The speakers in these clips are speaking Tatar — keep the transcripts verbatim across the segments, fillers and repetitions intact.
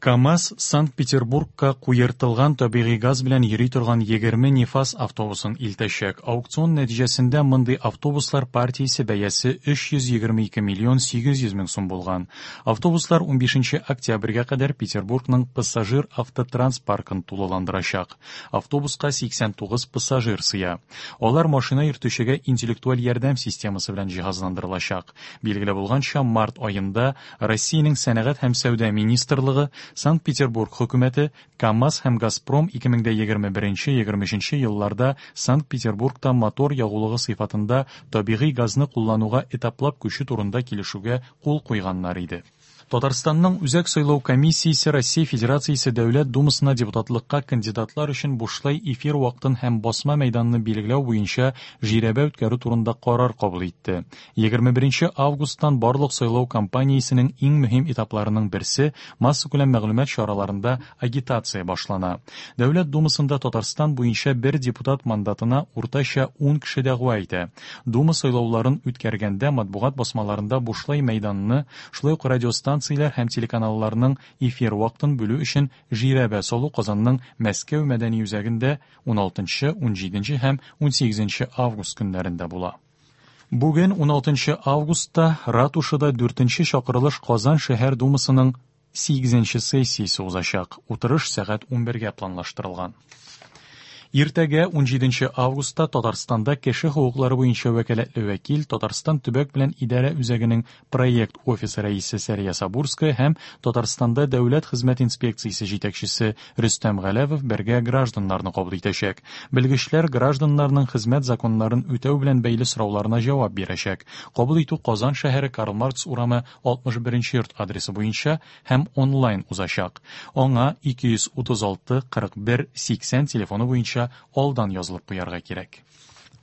КАМАЗ Санкт-Петербургка куертылган табигый газ белән йөри торган егерме Нефаз автобусын илтәчәк. Аукцион нәтиҗәсендә мондый автобуслар партиясе бәясе өч йөз егерме ике миллион сигез йөз мең сум булган. Автобуслар унбишенче октябрьгә кадәр Петербургның пассажир автотранспаркын тулыландырачак. Автобуска сиксән тугыз пассажир сыя. Алар машина йөртүчегә интеллектуаль ярдәм системасы белән җиһазландырылачак. Билгеле булганча, март аенда Россиянең сәнәгать һәм сәүдә министрлыгы, Санкт-Петербург хөкүмәте, КАМАЗ һәм Газпром ике мең дә егерме беренче, егерме өченче елларда Санкт-Петербургта мотор ягулыгы сыйфатында табигый газны куллануга этаплап күчү турында килешүгә кул куйганнар иде. Татарстанның Үзәк сайлау комиссиясе Россия Федерациясе Дәүләт Думасына депутатлыкка кандидатлар өчен бушлай эфир вакытын һәм басма мәйданны билгеләү буенча жирәбә үткәрү турында карар кабул итте. Егерме беренче августтан барлык сайлау кампаниясенең иң мөһим этапларының берсе массакүләм мәгълүмат чараларында агитация башлана. Дәүләт Думасында Татарстан буенча бер депутат мандатына уртача ун кеше дәгъва итә. Дума сайлауларын үткәргәндә матбугат басмаларында бушлай мәйданны, шулай ук радиостанцияләр һәм телеканалларның эфир вакытын бүлү өчен жирәбә салу Казанның Мәскәү мәдәни үзәгендә уналтынчы, унҗиденче һәм унсигезенче август көннәрендә була. Бүген уналтынчы августта Ратушада дүртенче чакырылыш Казан шәһәр думасының сигезенче сессиясе узачак. Утырыш сәгать унбергә планлаштырылган. Иртәгә унҗиденче августта Татарстанда кеше хокуклары буенча вәкаләтле вәкил Татарстан төбәк белән идарә үзәгенең проект офисы рәисе Сәрия Сабурская һәм Татарстанда дәүләт хезмәт инспекциясе җитәкчесе Рөстәм Галәвов бергә гражданнарны кабул итәчәк. Белгечләр гражданнарның хезмәт законнарын үтәү белән бәйле сорауларына җавап бирәчәк. Кабул итү Казан шәһәре Карл Маркс урамы алтмыш беренче йорт адресы буенча һәм онлайн узачак. Аңа ике йөз утыз алты кырык бер сиксән телефоны буенча алдан язылып куярга кирәк.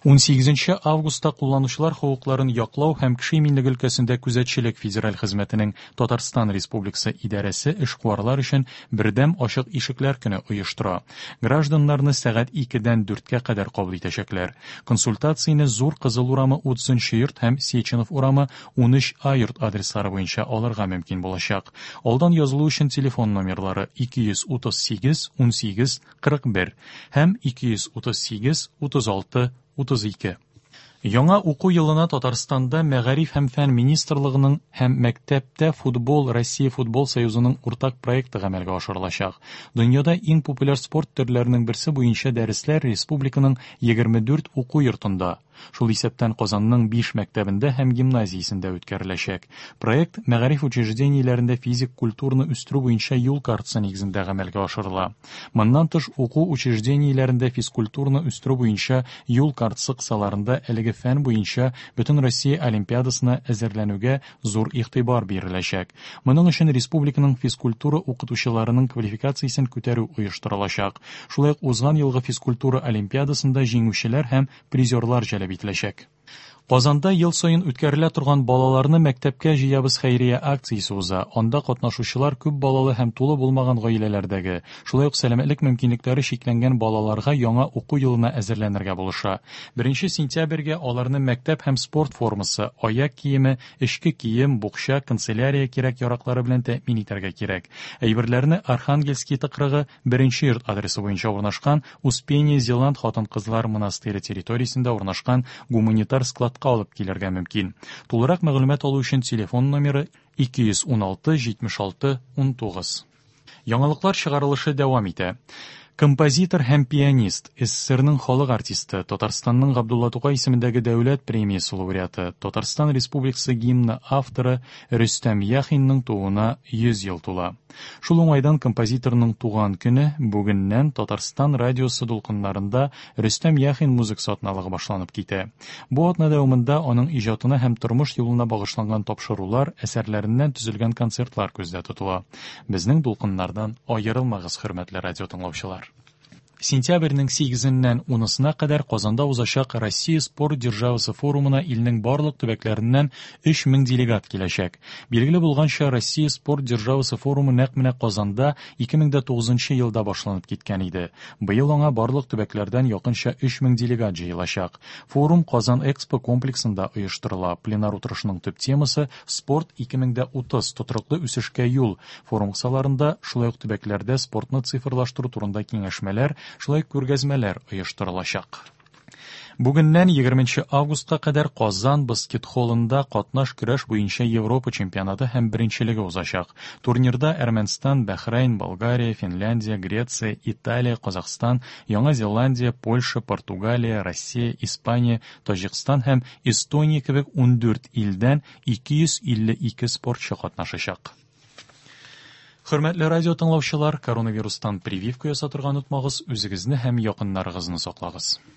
Унсигезенче августта кулланучылар хокукларын яклау һәм кеше иминлеге өлкәсендә күзәтчелек федераль хезмәтенең Татарстан Республикасы идарәсе эшкуарлар өчен бердәм ачык ишекләр көне оештыра. Гражданнарны сәгать икедән дүрткә кадәр кабул итәчәкләр. Консультацияне Зур Кызыл урамы утызынчы йорт һәм Сеченов урамы унөч А йорт адреслары буенча алырга мөмкин булачак. Алдан язылу өчен телефон номерлары ике йөз утыз сигез, унсигез, кырык бер һәм ике йөз утыз сигез, утыз алты, утыз ике. Яңа уку елына Татарстанда Мәгариф һәм фән министрлыгының һәм мәктәптә футбол Россия футбол союзының уртак проекты гамәлгә ашырылачак. Дөньяда иң популяр спорт төрләренең берсе буенча дәресләр республиканың егерме дүрт уку йортында, шул исәптән Казанның биш мәктәбендә һәм гимназиясендә үткәреләчәк. Проект мәгариф учреждениеләрендә физик культураны үстерү буенча юл картасы нигезендә гамәлгә ашырыла. Моннан тыш уку учреждениеләрендә физкультураны үстерү буенча юл картасы кысаларында әлеге фән буенча Бөтен Россия олимпиадасына әзерләнүгә зур игътибар биреләчәк. Моның өчен республиканың физкультура укытучыларының квалификациясен күтәрү оештырылачак. Шулай ук узган елгы физкультура олимпиадасында җиңүчеләр һәм призерлар җәлеп ителәчәк. Казанда ел саен үткәрелә торган балаларны мәктәпкә җыябыз хәйрия акциясе уза. Анда катнашучылар күп балалы һәм тулы булмаган гаиләләрдәге, шулай ук сәламәтлек мөмкинлекләре чикләнгән балаларга яңа уку елына әзерләнергә булыша. Беренче сентябрьгә аларны мәктәп һәм спорт формасы, аяк киеме, эчке кием, букча, канцелярия кирәк-яраклары белән тәэмин итәргә кирәк. Әйберләрне Архангельский тыкрыгы беренче йорт адресы буенча урнашкан Успение Зеланд хатын-кызлар монастыре территориясендә урнашкан гуманитар складка алып килергә мөмкин. Тулырак мәгълүмат алу өчен телефон номеры ике йөз ун алты җитмеш алты ун тугыз. Яңалыклар чыгарылышы дәвам итә. Композитор һәм пианист, СССРның халык артисты, Татарстанның Габдулла Тукай исемендәге дәүләт премиясе лауреаты, Татарстан Республикасы гимны авторы Рөстәм Яхинның тууына йөз ел тула. Шул уңайдан композиторның туган көне бүгеннән Татарстан радиосы дулкыннарында Рөстәм Яхин музыкасы атналыгы башланып китә. Бу атна дәвамында аның иҗатына һәм тормыш юлына багышланган тапшырулар, әсәрләреннән төзелгән концертлар күздә тотыла. Безнең дулкыннардан аерылмагыз, хөрмәтле радио тыңлаучылар. Сентябрьнең сигезеннән унысына кадәр Казанда узачак Россия спорт державасы форумына илнең барлык төбәкләреннән өч мең делегат киләчәк. Билгеле булганча, Россия спорт державасы форумы нәкъ менә Казанда ике мең дә тугызынчы елда башланып киткән иде. Быел аңа барлык төбәкләрдән якынча өч мең делегат җыелачак. Форум Казан Экспо комплексында оештырыла. Пленар утырышының төп темасы спорт ике мең дә утыз тотрыклы үсешкә юл. Форум кысаларында шулай ук төбәкләрдә спортны цифрлаштыру турында киңәшмәләр, шулай күргәзмәләр оештырылачак. Бүгеннән егерменче августка кадәр Казан баскетболында катнаш көрәш буенча Европа чемпионаты һәм беренчелеге узачак. Турнирда Әрмәнстан, Бәхрәйн, Болгария, Финляндия, Греция, Италия, Казахстан, Яңа Зеландия, Польша, Португалия, Россия, Испания, Таҗикстан һәм Эстония кебек ундүрт илдән ике йөз илле ике спортчы катнашачак. Хөрмәтле радио тыңлаучылар, коронавирустан прививка ясатырга онытмагыз, үзегезне һәм якыннарыгызны саклагыз.